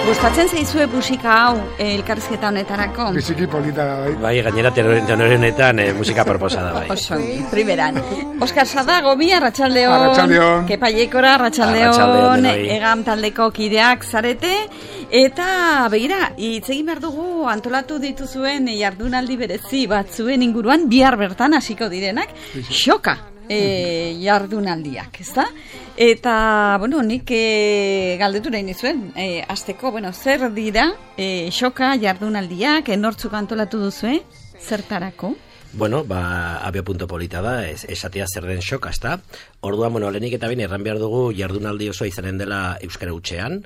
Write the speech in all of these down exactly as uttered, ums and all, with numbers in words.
Gustatzen zaizue musika hau elkarrizketa honetarako? Biziki polita da, bai. Bai, gainera tenorenetan eh, musika proposa da, bai. Oso, primeran. Oskar Sadago, mi arratsaldeon. Arratsaldeon. Kepa Jekora, arratsaldeon. Arratsaldeon, denoi. Egam taldeko kideak zarete. Eta, begira, hitz egin behar dugu antolatu dituzuen jardunaldi berezi batzuen inguruan, bihar bertan hasiko direnak, xoka. E, jardunaldiak, ezta? Eta, bueno, nik e, galdetu nahi nizuen, e, azteko, bueno, zer dira e, xoka jardunaldiak, enortzuk antolatu duzue, zertarako? Bueno, ba, abia punto polita da, es, esatea zer den xoka, ezta? Orduan, bueno, lehenik eta bain erran behar dugu jardunaldi oso izanen dela euskara hutsean,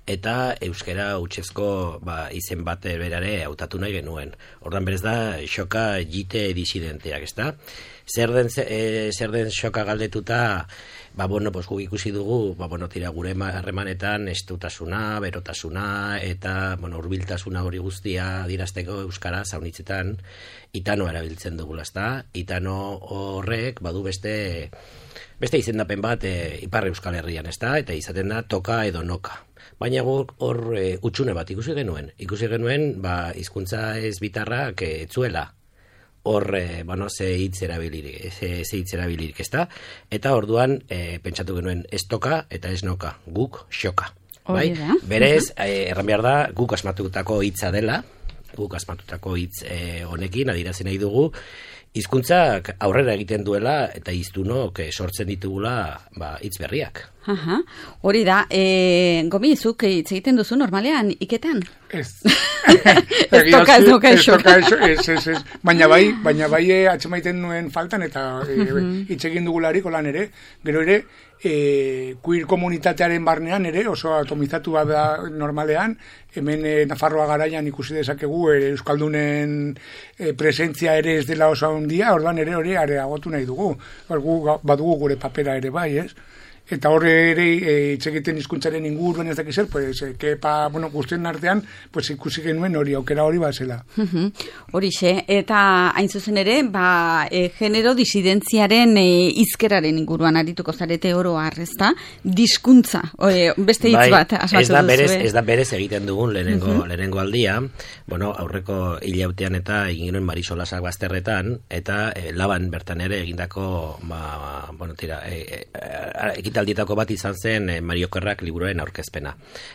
eta euskara hutsezko ba, izen bat berare hautatu nahi genuen. Orduan berez da, xoka jite disidenteak, ezta? Zer den, e, zer den xoka galdetuta, ba, bueno, pues, guk ikusi dugu, ba, bueno, tira gure harremanetan estutasuna, berotasuna, eta, bueno, hurbiltasuna hori guztia dirazteko euskara zaunitzetan, itanoa erabiltzen dugula, ezta? Itano horrek, badu beste, beste izendapen bat e, Ipar Euskal Herrian, ezta? Eta izaten da toka edo noka. Baina guk hor e, utxune bat ikusi genuen. Ikusi genuen, ba, hizkuntza ez bitarrak e, etzuela. Hor, eh, bueno, ze hitz erabilirik, ze, ze hitz erabilirik, ezta? Eta orduan, eh, pentsatu genuen ez toka eta ez noka, guk xoka. Bai? Berez, eh, erran behar da, guk asmatutako hitza dela, guk asmatutako hitz eh, honekin, adirazen nahi dugu, hizkuntzak aurrera egiten duela eta hiztunok eh, sortzen ditugula ba, hitz berriak. Aha, hori da, e, Gomi, zuk hitz egiten duzu normalean iketan? Ez. Ez toka, ez noka, ez toka, ez, ez, ez. Baina bai, baina bai e, atxemaiten nuen faltan eta hitz e, egin dugularik olan ere, gero ere, e, queer komunitatearen barnean ere, oso atomizatu bat da normalean, hemen e, Nafarroa garaian ikusi dezakegu e, Euskaldunen e, presentzia ere ez dela oso handia, orduan ere hori areagotu nahi dugu. Gu, badugu gure papera ere bai, ez? Eta horre ere hitz egiten hizkuntzaren inguruen ez dakiz zer, pues, e, kepa, bueno, guztien artean, pues, ikusi genuen hori, aukera hori bazela. Horixe, eta hain zuzen ere, ba, e, genero disidentziaren e, izkeraren inguruan arituko zarete oro arrezta, diskuntza, e, beste hitz bai, bat asmatu duzu. Berez, ez da berez egiten dugun lehenengo, uh-huh. lehenengo aldia, bueno, aurreko hilautean eta egin genuen Marisolasak bazterretan, eta e, laban bertan ere egindako, ba, bueno, tira, e, e, ekitaldietako bat izan zen e, Mario Kerrak liburuaren aurkezpena.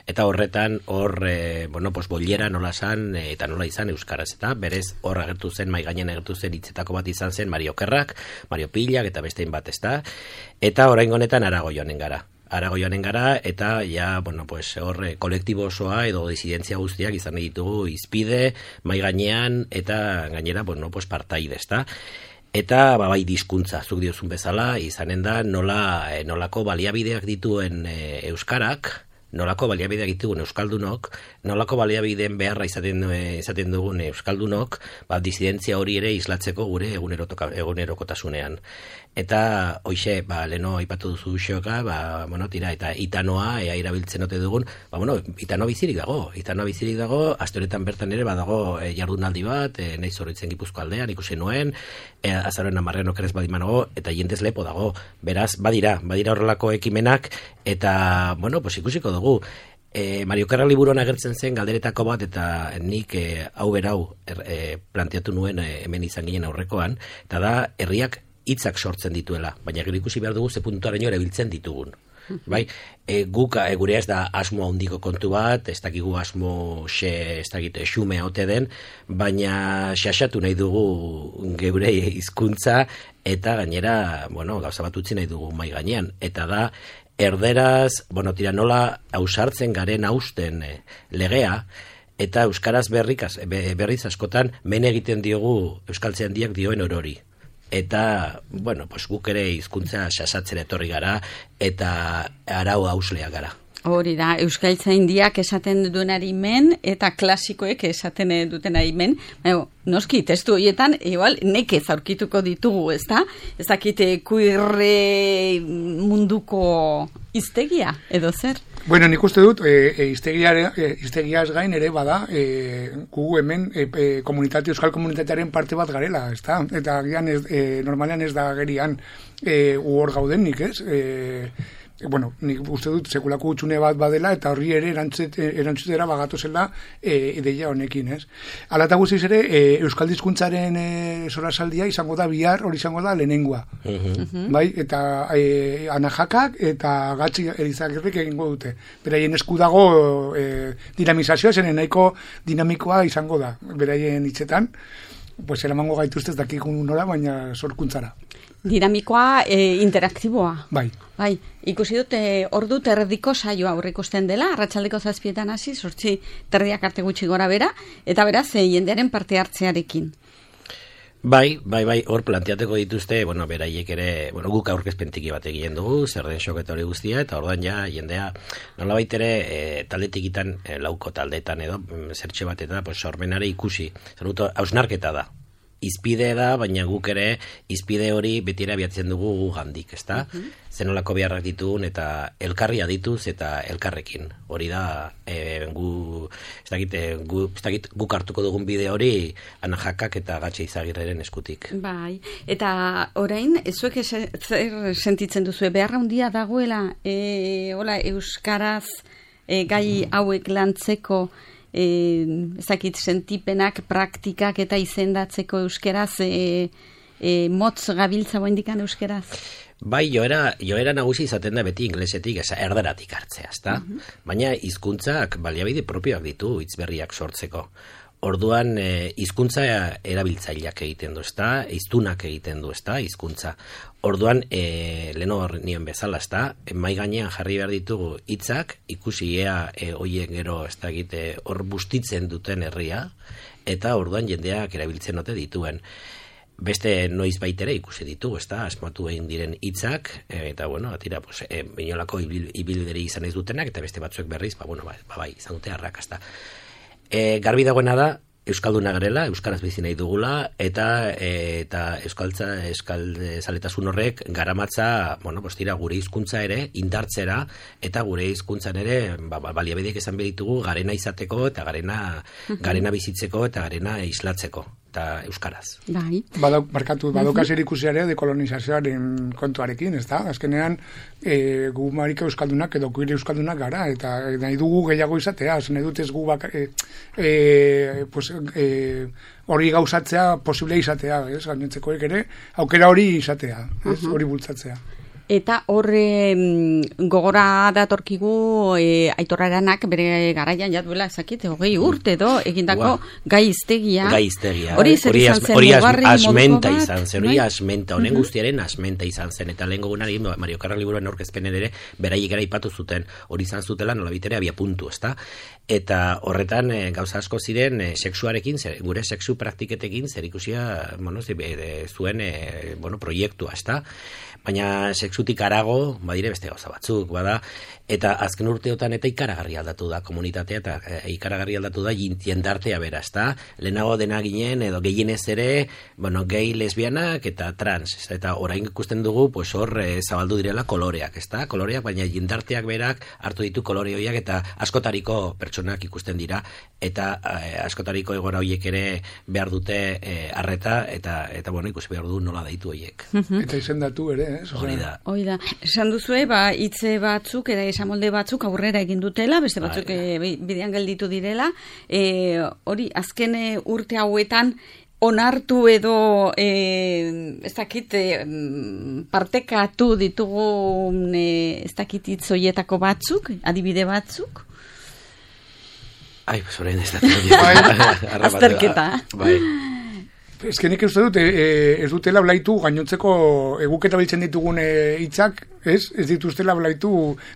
Eta horretan, hor, e, bueno, pues, bollera nola san, e, eta nola izan euskaraz, eta berez hor agertu zen, mai gainen agertu zen hitzetako bat izan zen Mario Kerrak, Mario Pillak eta bestein bat, ezta? Eta oraingo honetan Arago joanen gara. Arago joanen gara, eta ja, bueno, pues, hor, kolektibo osoa edo disidentzia guztiak izan ditugu izpide, mai gainean, eta gainera, bueno, pues, partaide, ezta? Eta ba, bai diskuntza, zuk diozun bezala, izanen da nola, e, nolako baliabideak dituen e, euskarak, nolako baliabideak dituen euskaldunok, nolako baliabideen beharra izaten, e, izaten dugun euskaldunok, ba, disidentzia hori ere islatzeko gure egunerokotasunean. Eta, hoxe, ba, leno aipatu duzu xoka, ba, bueno, tira, eta itanoa, ea irabiltzen ote dugun, ba, bueno, itanoa bizirik dago, itanoa bizirik dago, aste honetan bertan ere, badago e, jardunaldi bat, e, nahi zorritzen Gipuzko aldean, ikusi nuen, e, azaroen amarren okerez badimanago, eta jendez lepo dago, beraz, badira, badira horrelako ekimenak, eta, bueno, pues ikusiko dugu, E, Mario Kerrak liburuan agertzen zen galderetako bat, eta nik e, hau berau er, e, planteatu nuen e, hemen izan ginen aurrekoan, eta da, herriak hitzak sortzen dituela, baina gero ikusi behar dugu ze puntuaraino erabiltzen ditugun. Bai, e, guk e, gure ez da asmo handiko kontu bat, ez dakigu asmo xe, ez dakit, xume ote den, baina xaxatu nahi dugu geure hizkuntza eta gainera, bueno, gauza bat utzi nahi dugu mai gainean, eta da, erderaz, bueno, tira nola ausartzen garen hausten e, legea, eta euskaraz berrikaz, berriz askotan men egiten diogu euskaltzaindiak dioen orori. Eta, bueno, pues guk ere hizkuntza xasatzen etorri gara, eta arau hausleak gara. Hori da, euskaltzaindiak esaten duenari men, eta klasikoek esaten dutenari men. Baina, noski, testu horietan, igual, nekez aurkituko ditugu, ez da? Ez dakite kuirre munduko hiztegia, edo zer? Bueno, nik uste dut, e, e, hiztegiaz gain ere bada, e, gu hemen e, e, komunitate, euskal komunitatearen parte bat garela, ez da? Eta gian ez, e, normalean ez da gerian e, hor gaudenik, ez? E, bueno, nik uste dut sekulako utxune bat badela, eta horri ere erantzutera bagatu zela e, ideia honekin, ez? Hala eta guztiz ere, e, Euskal Hizkuntzaren e, solasaldia izango da bihar, hori izango da lehenengoa. Uh-huh. Bai, eta e, anajakak eta gatzi erizagirrik egingo dute. Beraien esku dago e, dinamizazioa, zen nahiko dinamikoa izango da, beraien hitzetan, pues eramango gaituztez dakikun nola, baina sorkuntzara. Dinamikoa, e, interaktiboa. Bai. Bai, ikusi dut, e, ordu terdiko saioa aurreikusten dela, arratsaldeko zazpietan hasi, sortzi terdiak arte gutxi gora bera, eta beraz, e, jendearen parte hartzearekin. Bai, bai, bai, hor planteateko dituzte, bueno, beraiek ere, bueno, guk aurkezpentiki bat egiten dugu, zer den xoketa hori guztia, eta orduan ja, jendea, nolabait ere, e, taldetikitan, e, lauko taldetan edo, zertxe bat eta, pues, sormenare ikusi, zer dut, hausnarketa da. Izpide da, baina guk ere izpide hori betiera abiatzen dugu gu gandik, ezta? Uh-huh. Zenolako beharrak ditugun eta elkarri adituz eta elkarrekin. Hori da, e, gu, ez dakit, gu, ez dakit, guk hartuko dugun bide hori anajakak eta gatxe izagirreren eskutik. Bai, eta orain, zuek zer sentitzen duzu, beharra handia dagoela, e, hola, euskaraz e, gai hauek lantzeko, E, ezakit sentipenak, praktikak eta izendatzeko euskeraz, e, e, motz gabiltza boendikan euskeraz? Bai, joera, joera nagusi izaten da beti inglesetik, eza erderatik hartzea, ezta? Uh-huh. Baina hizkuntzak baliabide propioak ditu hitzberriak sortzeko. Orduan, e, hizkuntza erabiltzaileak egiten du, ezta? Hiztunak egiten du, ezta? Hizkuntza. Orduan, e, leno nien bezala, ezta? Mai gainean jarri behar ditugu hitzak, ikusi ea e, oien gero, ez da egite, hor bustitzen duten herria, eta orduan jendeak erabiltzen ote dituen. Beste noiz baitere ikusi ditugu, ezta? Asmatu egin diren hitzak, e, eta bueno, atira, pues, e, inolako ibil, ibilbideri izan ez dutenak, eta beste batzuek berriz, ba, bueno, ba, ba, bai, izan dute arrakasta. E, garbi dagoena da, euskalduna garela, euskaraz bizi nahi dugula, eta e, eta euskaltza, euskaldezaletasun horrek garamatza, bueno, postira gure hizkuntza ere indartzera, eta gure hizkuntzan ere, ba, ba, baliabideak esan behar ditugu, garena izateko, eta garena, garena bizitzeko, eta garena islatzeko, eta euskaraz. Bai. Badau, markatu, badauka zer ikusiare dekolonizazioaren kontuarekin, ez da? Azkenean, e, gu marika euskaldunak edo kuire euskaldunak gara, eta nahi dugu gehiago izatea, nahi dut ez gu bak, e, e, pues, e, hori gauzatzea posible izatea, ez? Gainotzekoek ere, aukera hori izatea, ez? Hori uh-huh. bultzatzea. Eta horre gogora datorkigu e, Aitor Aranak bere garaian jatuela ezakit, hogei urte edo egindako wow. gaiztegia. Gaiztegia. Hori zer izan zen, hori asmenta izan zen, hori asmenta, honen guztiaren asmenta izan zen, eta lehen gogunari Mario Karra liburuan aurkezpenen ere beraiek gara ipatu zuten, hori izan zutela nolabitere abia puntu, ezta? Eta horretan e, gauza asko ziren e, sexuarekin, zer, gure sexu praktiketekin zer ikusia, bueno, zi, e, zuen e, bueno, proiektua, ezta? Baina sexutik arago, badire beste gauza batzuk, bada, eta azken urteotan eta ikaragarri aldatu da komunitatea, eta e, ikaragarri aldatu da jendartea bera, ezta? Lehenago dena ginen, edo gehienez ere, bueno, gay, lesbianak eta trans, eta orain ikusten dugu, pues hor e, zabaldu direla koloreak, ezta? Koloreak, baina jendarteak berak hartu ditu kolore horiek, eta askotariko pertsonak ikusten dira, eta e, askotariko egora horiek ere behar dute e, arreta, eta, eta bueno, ikusi behar du nola daitu horiek. Eta izendatu ere, eh? Hori da. Hori da. Esan duzue, ba, hitze batzuk, eta esamolde batzuk aurrera egin dutela, beste batzuk e, bidean gelditu direla. E, hori, azken urte hauetan, onartu edo, e, ez dakit, e, partekatu ditugu, e, ez dakit hitzoietako batzuk, adibide batzuk? Ai, pues orain ez da. Azterketa. Bai. Ez que nik uste dut, e, e, ez dutela blaitu gainontzeko eguketa biltzen ditugun hitzak, ez? Ez dituztela blaitu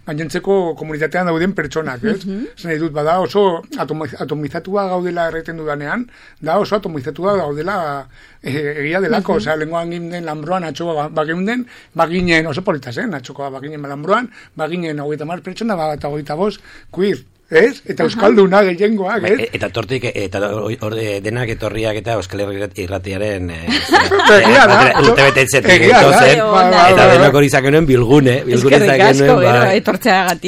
gainontzeko komunitatean dauden pertsonak, ez? Mm-hmm. Zer dut, bada oso atomizatua gaudela erreten dudanean, da oso atomizatua gaudela e, egia delako, mm-hmm. Osea, lenguan ginen Lanbroan atxoa bageunden, baginen, oso polita zen, atxokoa baginen Lanbroan, baginen hogeita mar pertsona, bat hogeita bost, queer. ez? Eta euskalduna gehiengoak, ez? Eta tortik, eta orde denak etorriak eta Euskal Herri Irratiaren urte betetzen eta denok hori zakenuen bilgune, bilgune zakenuen.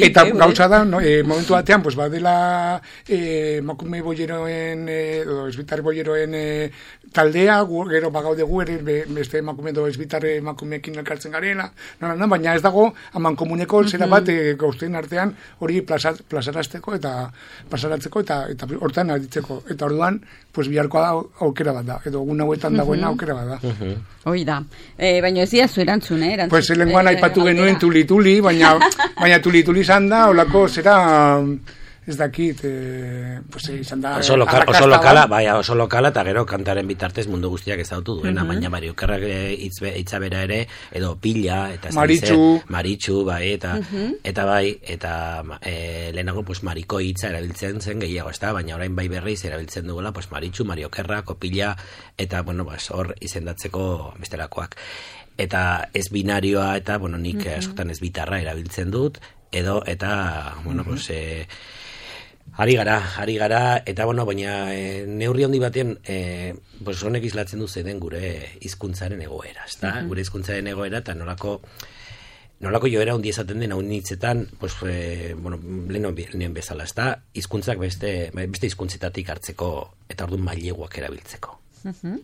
Eta gauza da, momentu batean, pues badela emakume boieroen, edo esbitar boieroen taldea, gero bagaude gu, beste emakume edo esbitar emakumeekin elkartzen garela, baina ez dago, haman komuneko zera bat gauzten artean hori plazarazteko eta pasaratzeko eta eta hortan aditzeko. Eta orduan, pues biharkoa da aukera bat da, edo egun hauetan dagoena aukera bat da. Hoi da. Baina ez dira zu erantzun, eh? Pues lenguan aipatu genuen tuli-tuli, baina baina tuli-tuli izan da, olako zera... Ez dakit, eh, pues, izan da... Oso, lokal, oso lokala, bai, oso lokala, eta gero kantaren bitartez mundu guztiak ezautu duena, uh-huh. baina Mario Kerrak itzabera ere, edo pila, eta Maritxu, Maritxu, bai, eta, uh-huh. eta bai, eta e, lehenago, pues, Mariko hitza erabiltzen zen gehiago, ez da, baina orain bai berriz erabiltzen dugula, pues, Maritxu, Mario Kerrak, Opila, eta, bueno, pues, hor izendatzeko bestelakoak. Eta ez binarioa, eta, bueno, nik uh-huh. askotan ez bitarra erabiltzen dut, edo, eta, bueno, uh-huh. pues, e, Ari gara, ari gara, eta bueno, baina e, neurri handi batean, e, pues honek islatzen du zeuden gure hizkuntzaren egoera, ezta? Uh-huh. Gure hizkuntzaren egoera, eta nolako, nolako joera handi esaten den haun hitzetan, pues, e, bueno, lehen bezala, ezta? Hizkuntzak beste, beste hizkuntzetatik hartzeko, eta orduan maileguak erabiltzeko. Uh-huh.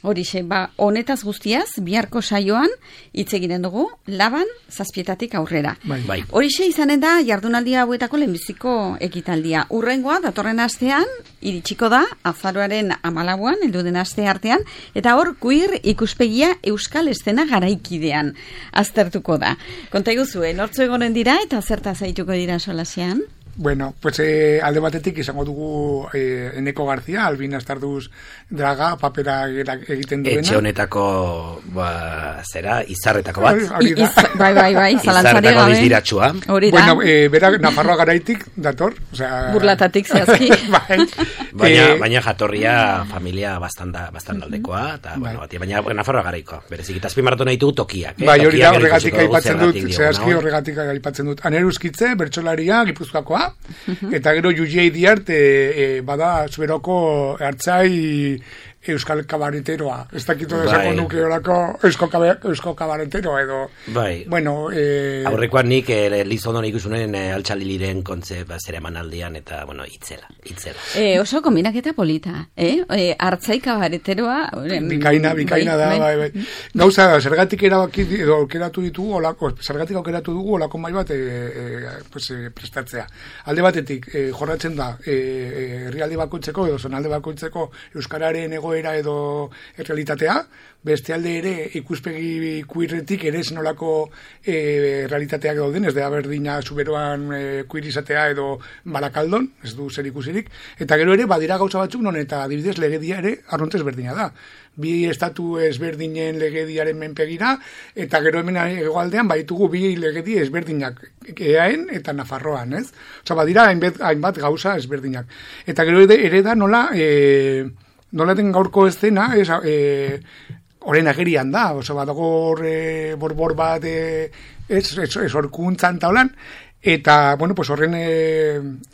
Horixe, ba, honetaz guztiaz, biharko saioan, hitz egiten dugu, laban zazpietatik aurrera. Bai. Bai. Horixe izanen da, jardunaldia hauetako lehenbiziko ekitaldia. Urrengoa, datorren astean, iritsiko da, azaroaren amalauan, elduden aste artean, eta hor, queer ikuspegia euskal estena garaikidean aztertuko da. Konta iguzue, nortzu egonen dira, eta zerta zaituko dira solasean? Bueno, pues eh, alde batetik izango dugu eh, Eneko Garzia, Albina Astarduz Draga, papera egiten duena. Etxe honetako, ba, zera, izarretako bat. I, iz, bai, bai, bai, zalantzari gabe. Izdiratxua. Bueno, eh, bera Nafarroa garaitik dator. O sea, burlatatik zehazki. bai. Baina, eh, baina jatorria familia bastanda, bastaldekoa, eta, bueno, bati, baina Nafarroa garaikoa. Berezik, eta azpimarratu nahi dugu tokiak. Eh? Bai, hori da, horregatik aipatzen dut, zehazki horregatik aipatzen dut. Aneruskitze, bertsolaria, Gipuzkoakoa, eta gero Juliei Diart e, e, bada zuberoko hartzai euskal kabareteroa. Ez dakito desako bai. Nuke horako eusko, eusko kabaretero edo... Bai. Bueno, e... Aurrekoan nik e, Lizondon ikusunen e, altxaliliren kontze zera emanaldian eta, bueno, itzela, itzela. E, oso kombinaketa polita, eh? E, hartzai kabareteroa... Bikaina, bikaina bai, da, bai, bai. bai. Gauza, zergatik erabaki edo aukeratu ditugu, olako, zergatik aukeratu dugu olako mai bat e, e, pues, e, prestatzea. Alde batetik, e, jorratzen da, herrialde e, bakoitzeko edo zonalde bakoitzeko euskararen egoera edo realitatea, beste alde ere ikuspegi queerretik ere zenolako e, realitateak dauden, ez da berdina zuberoan e, queer izatea edo Barakaldon, ez du zer ikusirik, eta gero ere badira gauza batzuk non eta adibidez legedia ere arrontez berdina da. Bi estatu ezberdinen legediaren menpegira, eta gero hemen hegoaldean baitugu bi legedi ezberdinak, Eaen eta Nafarroan, ez? Osa, badira hainbat, hainbat gauza ezberdinak. Eta gero ere da nola... E, nola den gaurko eszena, ez, e, oren agerian da, oso badago e, borbor bat, e, ez, ez, ez orkuntzan taulan, eta, bueno, pues horren e,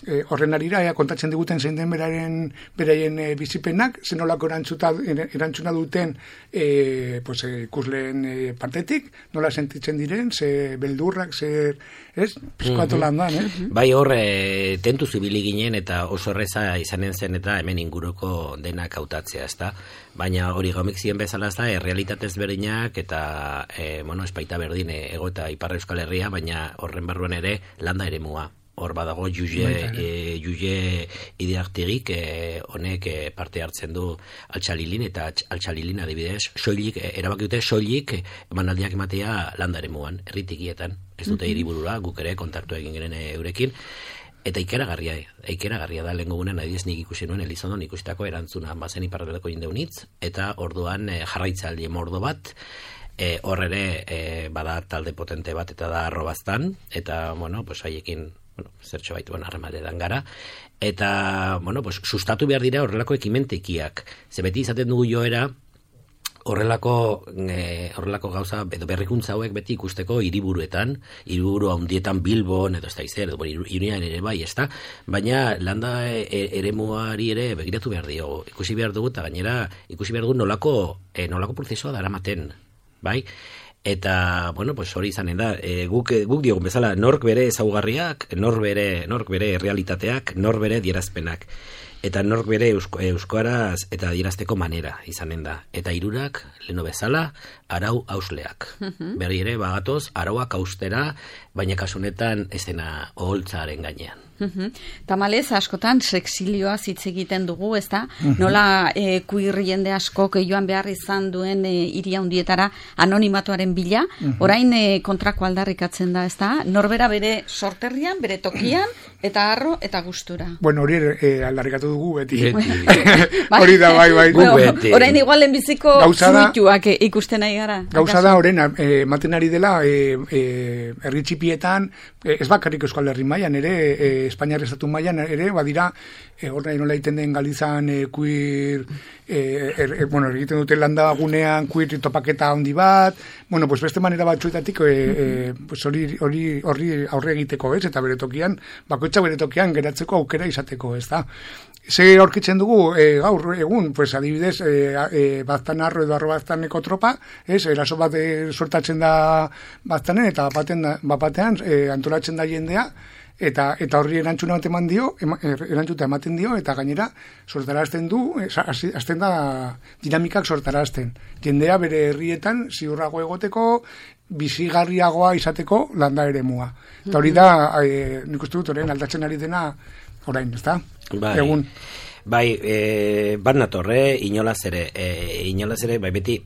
e, horren arira, ea, kontatzen diguten zein den beraren, beraien e, bizipenak, zenolako erantzuna duten e, pues, e, ikusleen e, partetik, nola sentitzen diren, ze beldurrak, ze, ez, pizkoatu lan dan, eh? Bai hor, e, tentu zibili ginen eta oso erreza izanen zen eta hemen inguruko denak hautatzea, ezta? Baina hori gomik ziren bezala ez da, e, realitatez berdinak eta, e, bueno, espaita berdin e, ego eta Ipar Euskal Herria, baina horren barruan ere landa ere mua. Hor badago Juge, e, Juge Idiartirik e, honek e, parte hartzen du altxalilin eta altxalilin adibidez, soilik, e, erabaki dute soilik emanaldiak ematea landa ere muan, erritikietan. Ez dute hiriburura, guk ere kontaktu egin genen eurekin, eta ikeragarria, ikeragarria da lehenko gunen, adibidez nik ikusi nuen Elizondon ikustako erantzuna bazen iparraldeko jindeunitz, eta orduan e, jarraitzaldi mordo bat, e, hor ere e, bada talde potente bat eta da arrobaztan, eta, bueno, pues haiekin, bueno, zertxo baitu harremanetan gara, eta, bueno, pues sustatu behar dira horrelako ekimentekiak, ze beti izaten dugu joera, horrelako e, horrelako gauza edo berrikuntza hauek beti ikusteko hiriburuetan, hiriburu handietan Bilbon edo ez da izer, edo Irunian ere bai, ezta? Baina landa e, eremuari ere begiratu behar dio, ikusi behar dugu eta gainera ikusi behar dugu nolako e, nolako prozesua daramaten, bai? Eta, bueno, pues hori izanen da, e, guk, guk diogun bezala, nork bere ezaugarriak, nork bere, nork bere realitateak, nork bere dierazpenak. Eta nork bere eusko, euskaraz eta adierazteko manera izanen da. Eta hirurak leno bezala, arau hausleak. Uh-huh. Berri ere, bagatoz, arauak haustera, baina kasunetan ez dena oholtzaren gainean. Uh-huh. Tamalez, askotan, sexilioa hitz egiten dugu, ez da? Uh-huh. Nola e, kuir jende askok joan behar izan duen e, iria hundietara anonimatuaren bila, uh-huh. orain e, kontrako aldarrikatzen da, ez da? Norbera bere sorterrian, bere tokian, eta harro, eta gustura. Bueno, hori e, aldarrikatu dugu beti. Hori da, bai, bai. Bueno, orain igual lehenbiziko fruituak ikusten nahi gara. Gauza da, orain, ematen ari dela, e, e, herri txipietan, e, ez bakarrik Euskal Herri mailan ere, e, Espainiar estatu mailan ere, badira, e, horrein nola egiten den Galizan e, kuir, e, er, e, bueno, egiten dute landa gunean kuir topaketa handi bat, bueno, pues beste manera batzuetatik e, e, pues hori, hori, hori aurre egiteko, ez, eta bere tokian, bakoitza bere tokian geratzeko aukera izateko, ez da. Ze aurkitzen dugu e, gaur egun, pues adibidez, e, e, baztan arro edo arro baztaneko tropa, ez, eraso bat e, sortatzen da baztanen, eta bapaten da, bapatean e, antolatzen da jendea, eta eta horri erantzuna bat eman dio, ema, erantzuta ematen dio, eta gainera sortarazten du, azten da dinamikak sortarazten. Jendea bere herrietan ziurrago egoteko, bizigarriagoa izateko landa eremua. Eta hori da, e, nik uste dut, orain aldatzen ari dena orain, ez da? Bai, egun. Bai, e, bat natorre, inolaz ere, e, inolaz ere, bai beti,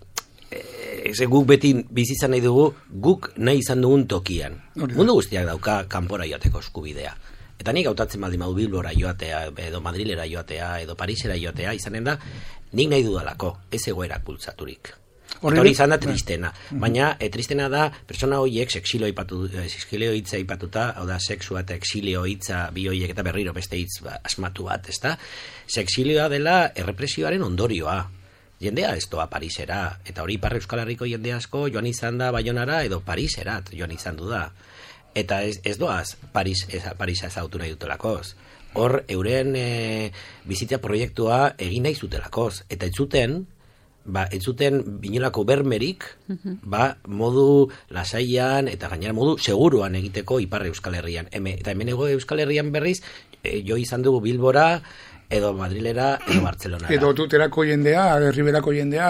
e, guk beti bizizan nahi dugu, guk nahi izan dugun tokian. Mundu guztiak dauka kanpora joateko eskubidea. Eta nik hautatzen baldin badu Bilbora joatea, edo Madrilera joatea, edo Parisera joatea, izanen da, nik nahi dudalako, ez egoerak bultzaturik. Eta hori izan da tristena. Baina, e, tristena da, persona horiek sexilio ipatu, sexilio hitza ipatuta, hau da, sexua eta exilio hitza bi horiek eta berriro beste hitz ba, asmatu bat, ez da? Sexilioa dela errepresioaren ondorioa. Jendea ez doa Parisera, eta hori Ipar Euskal Herriko jende asko joan izan da Baionara edo Pariserat joan izan du da. Eta ez, ez doaz Paris, ez, Parisa ezautu nahi dutelakoz. Hor, euren e, bizitza proiektua egin nahi zutelakoz. Eta ez zuten, ba, ez zuten binolako bermerik, ba, modu lasaian eta gainera modu seguruan egiteko Ipar Euskal Herrian. Heme, eta hemen ego Euskal Herrian berriz, e, jo izan dugu Bilbora, edo Madrilera, edo Bartzelonara. Edo tuterako jendea, herriberako jendea,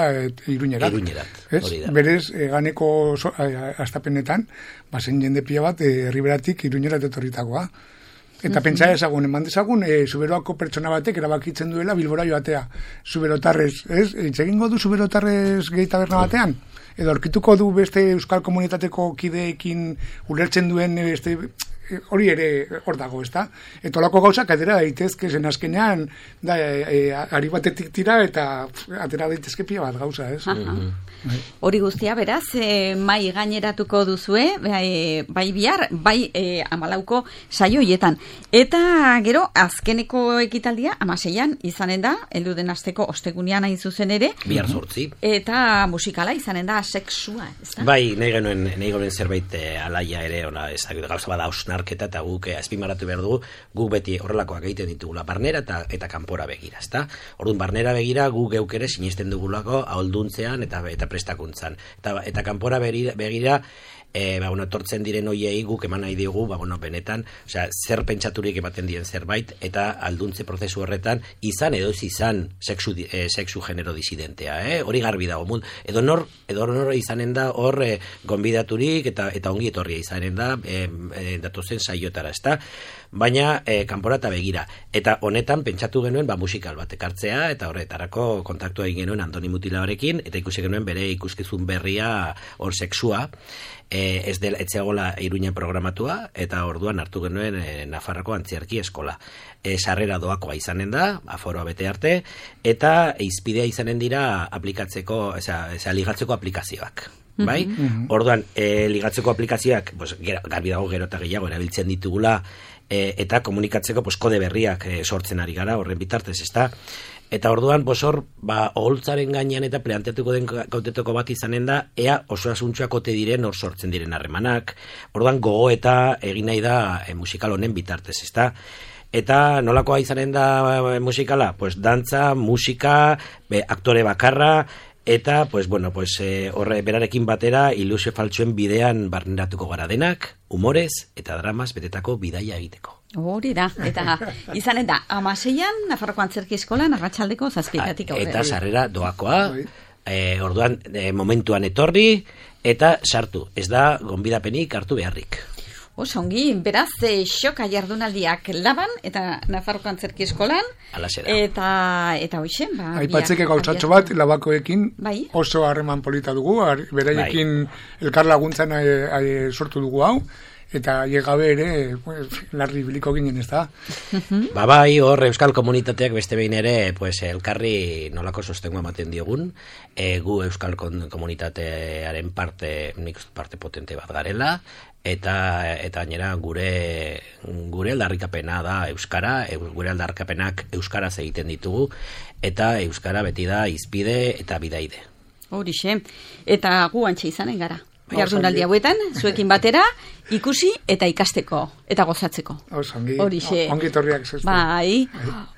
Iruñerat. Iruñerat, hori da. Berez, e, ganeko so, a, astapenetan, bazen jende pila bat, herriberatik e, Iruñerat etorritakoa. Eta uh-huh. pentsa ezagun, eman dezagun, e, Zuberoako pertsona batek erabakitzen duela Bilbora joatea. Zuberotarrez, ez? Itzegingo du Zuberotarrez gehi taberna batean? Edo aurkituko du beste Euskal Komunitateko kideekin ulertzen duen beste... hori ere hor dago, ez da? Eta olako gauzak atera daitezke zen azkenean, da, e, e, ari batetik tira eta pf, atera daitezke pila bat gauza, ez? Hori guztia, beraz, e, mai gaineratuko duzue, bai, bai bihar, bai e, amalauko saioietan. Eta gero, azkeneko ekitaldia, amaseian, izanen da, heldu den asteko ostegunean hain zuzen ere. Bihar zortzi. Eta musikala izanen da, sexua, ez da? Bai, nahi genuen, nahi genuen zerbait e, alaia ere, ona, ez da, gauza bada hausnarketa, eta guk e, azpimarratu behar dugu, guk beti horrelakoak egiten ditugula, barnera eta, eta kanpora begira, ez da? Orduan, barnera begira, guk geuk ere sinisten dugulako ahulduntzean eta, eta prestakuntzan. Eta, eta kanpora begira, begira e, ba, bueno, tortzen diren hoiei guk eman nahi digu, ba, bueno, benetan, osea, zer pentsaturik ematen dien zerbait, eta alduntze prozesu horretan, izan edo ez izan sexu, e, sexu genero disidentea, eh? Hori garbi dago, mund, edo nor, edo nor izanen da hor e, gonbidaturik eta eta ongi etorria izanen da e, e, datozen saiotara, ezta? Baina e, kanpora eta begira. Eta honetan pentsatu genuen ba, musikal bat ekartzea, eta horretarako kontaktua egin genuen Andoni Mutilarekin, eta ikusi genuen bere ikuskizun berria hor sexua, e, ez dela etzeagola Iruña programatua, eta orduan hartu genuen e, Nafarroko Antziarki Eskola. E, sarrera doakoa izanen da, aforoa bete arte, eta izpidea izanen dira aplikatzeko, eza, eza ligatzeko aplikazioak. Bai? Mm-hmm. Orduan, e, ligatzeko aplikazioak, pues, garbi dago gero eta gehiago erabiltzen ditugula, e, eta komunikatzeko pues, kode berriak e, sortzen ari gara, horren bitartez, ezta? Eta orduan, bosor, ba, oholtzaren gainean eta planteatuko den gautetoko bat izanen da, ea oso asuntxoak ote diren hor sortzen diren harremanak. Orduan, gogo eta egin nahi da e, musikal honen bitartez, ezta? Eta nolakoa izanen da e, musikala? Pues dantza, musika, be, aktore bakarra, eta, pues, bueno, pues, e, horre berarekin batera ilusio faltsuen bidean barneratuko gara denak, humorez eta dramas betetako bidaia egiteko. Hori da, eta izanen da, amaseian, Nafarroko Antzerki Eskolan, arratsaldeko zazpitatik aurrera. Eta sarrera doakoa, e, orduan e, momentuan etorri, eta sartu, ez da gonbidapenik hartu beharrik. Oso ongi, beraz, e, xoka jardunaldiak Laban, eta Nafarroko Antzerki Eskolan, eta, eta hoxen, ba... Aipatzeke gauzatxo bat, Labakoekin bai? Oso harreman polita dugu, beraiekin bai. Elkar laguntzan e, e, sortu dugu hau, eta llegabe ere, pues, larri biliko ginen, ez da? Ba bai, hor Euskal Komunitateak beste behin ere, pues, elkarri nolako sostengoa ematen diogun, e, gu Euskal Komunitatearen parte, nik parte potente bat garela, eta eta gainera gure gure aldarrikapena da euskara, gure aldarrikapenak euskaraz egiten ditugu, eta euskara beti da hizpide eta bidaide. Horixe, eta gu antxe izanen gara. Jardunaldi hauetan, zuekin batera, ikusi eta ikasteko, eta gozatzeko. Horixe. Ongi torriak zezte. Bai.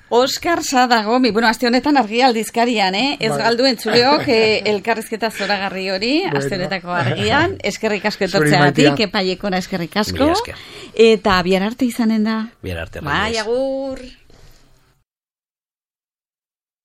Oskar Sadagomi, bueno, aste honetan argia aldizkarian, eh? Ez galdu entzuleok eh, elkarrizketa zoragarri hori, bueno. Aste honetako argian, eskerrik asko etortzeagatik, epaiekona eskerrik asko. Eta bihar arte izanen da. Bihar arte. Bai, agur.